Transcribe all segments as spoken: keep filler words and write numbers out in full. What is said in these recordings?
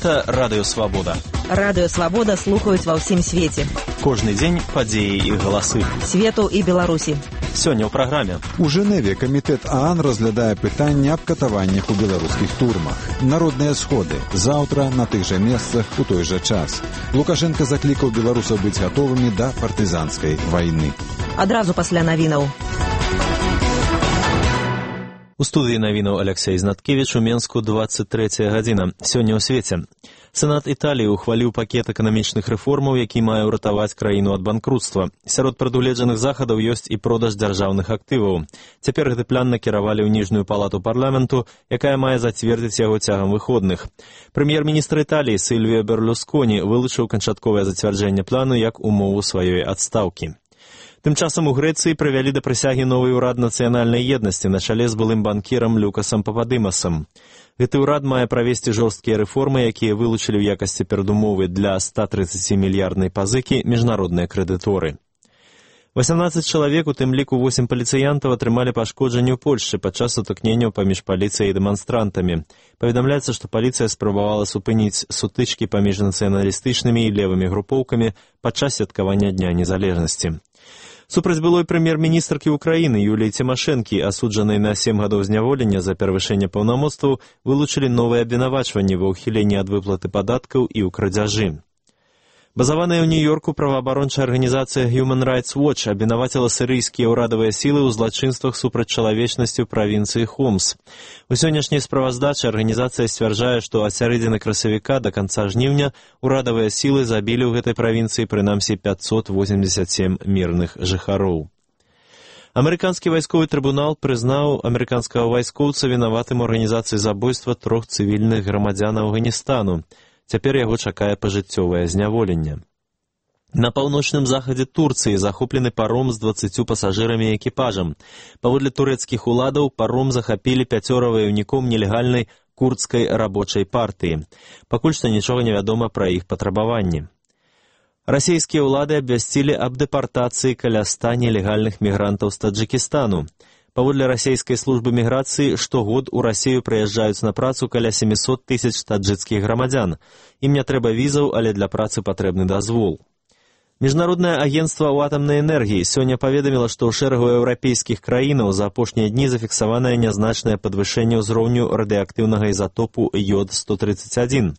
Гэта Радыё Свабода. Радыё Свабода слухаюць ва ўсім свеце. Кожны дзень падзеі і галасы. Свету і Беларусі. Сёння ў праграме. У Жэневе камітэт ААН разглядае пытанне аб катаваннях у беларускіх турмах. Народныя сходы. Заўтра на тых жа месцах у той жа час. Лукашенко заклікаў беларусаў быць гатовымі да партызанскай вайны. Адразу пасля навінаў. У студыі навінаў Алексей Знаткевіч, у Менску дваццаць трэцяя гадзіна. Сёння ў свеце. Сенат Італіі ухваліў пакет эканамічных рэформаў, які мае ўратаваць краіну ад банкрутства. Сярод прадугледжаных захадаў ёсць і продаж дзяржаўных актываў. Цяпер гэты план накіравалі ў ніжнюю палату парламенту, якая мае зацвердзіць яго цягам выходных. Прэм'ер-міністр Італіі Сільвіо Берлусконі вылучыў канчатковае зацвярджэнне плану як умову сваёй адстаўкі. Тым часам у Грэцыі прывялі да прысягі новы ўрад нацыянальнай еднасці на чале з былым банкірам Люкасам Пападымасам. Гэты ўрад мае правесці жорсткія рэформы, якія вылучылі ў якасці перадумовы для ста трыццацімільярднай пазыкі міжнародныя крэдыторы. васямнаццаць чалавек, у тым ліку восем паліцыянтаў, атрымалі пашкоджанні ў Польшчы падчас сутыкненняў паміж паліцыяй і дэманстрантамі. Паведамляецца, што паліцыя спрабавала супыніць сутычкі паміж нацыяналістычнымі і левымі групоўкамі падчас святкавання Дня незалежнасці. Супраць былой прэм'ер-міністркі Украіны Юліі Цімашэнкі, асуджанай на сем гадоў зняволення за перавышэнне паўнамоцтваў, вылучылі новыя абвінавачванні ва ўхіленні ад выплаты падаткаў і ў крадзяжы. Базаваная ў Нью-Йорку праваабарончая арганізацыя Human Rights Watch абвінаваціла сірыйскія ўрадавыя сілы ў злачынствах супраць чалавечнасці ў правінцыі Хомс. У сённяшняй справаздачы арганізацыя сцвярджае, што ад сярэдзіны красавіка да канца жніўня ўрадавыя сілы забілі ў гэтай правінцыі прынамсі пяцьсот восемьдесят сем мірных жыхароў. Амерыканскі вайсковы трыбунал прызнаў амерыканскага вайскоўца вінаватым у арганізацыі забойства трох цывільных грамадзян Афганістану. Цяпер яго чакае пажыццёвае зняволенне. На паўночным захадзе Турцыі захоплены паром з дваццаццю пасажырамі і экіпажам. Паводле турэцкіх уладаў паром захапілі пяцёра ваяўніком нелегальнай курдскай рабочай партыі. Пакуль што нічога не вядома пра іх патрабаванні. Расійскія ўлады абвясцілі аб дэпартацыі каля ста нелегальных мігрантаў з Таджыкістану. Паводле расійскай службы міграцыі, штогод у Расію прыязджаюць на працу каля сямісот тысяч таджыкскіх грамадзян. Ім не трэба візаў, але для працы патрэбны дазвол. Міжнароднае агенцтва ў атамнай энергіі сёння паведаміла, што ў шэрагу еўрапейскіх краінаў за апошнія дні зафіксаванае нязначнае падвышэнне ўзроўню радыеактыўнага ізатопу йод сто трыццаць адзін.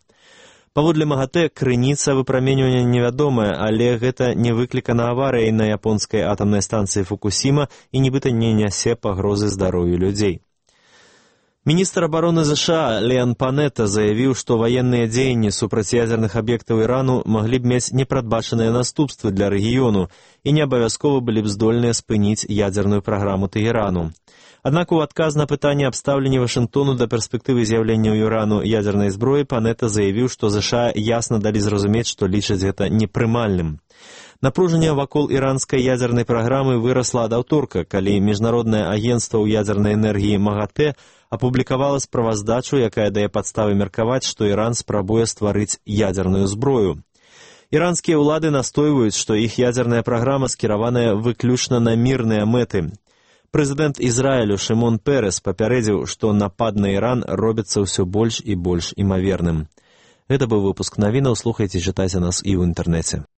Паводле МАГАТЭ, крыніца выпраменьвання невядомая, але гэта не выклікана аварыяй на японскай атамнай станцыі Фукусіма і нібыта не нясе пагрозы здароўю людзей. Міністр абароны ЗША Леан Панета заявіў, што ваенныя дзеянні супраць ядзерных аб'ектаў Ірану маглі б мець непрадбачаныя наступствы для рэгіёну і не абавязкова былі б здольныя спыніць ядзерную праграму Тэгэрану. Аднак у адказ на пытанне аб стаўленні Вашынгтону да перспектывы з'яўлення ў Ірану ядзернай зброі Панета заявіў, што ЗША ясна далі зразумець, што лічаць гэта непрымальным. Напружанне вакол іранскай ядзернай праграмы вырасла ад аўторка, калі міжнароднае агенцтва ў ядзернай энергіі МАГАТЭ апублікавала справаздачу, якая дае падставы меркаваць, што Іран спрабуе стварыць ядзерную зброю. Іранскія ўлады настойваюць, што іх ядзерная праграма скіраваная выключна на мірныя мэты. Прэзідэнт Ізраілю Шымон Перес папярэдзіў, што напад на Іран робіцца ўсё больш і больш імаверным. Гэта быў выпуск навінаў, слухайце, чытайце нас і ў інтэрнэце.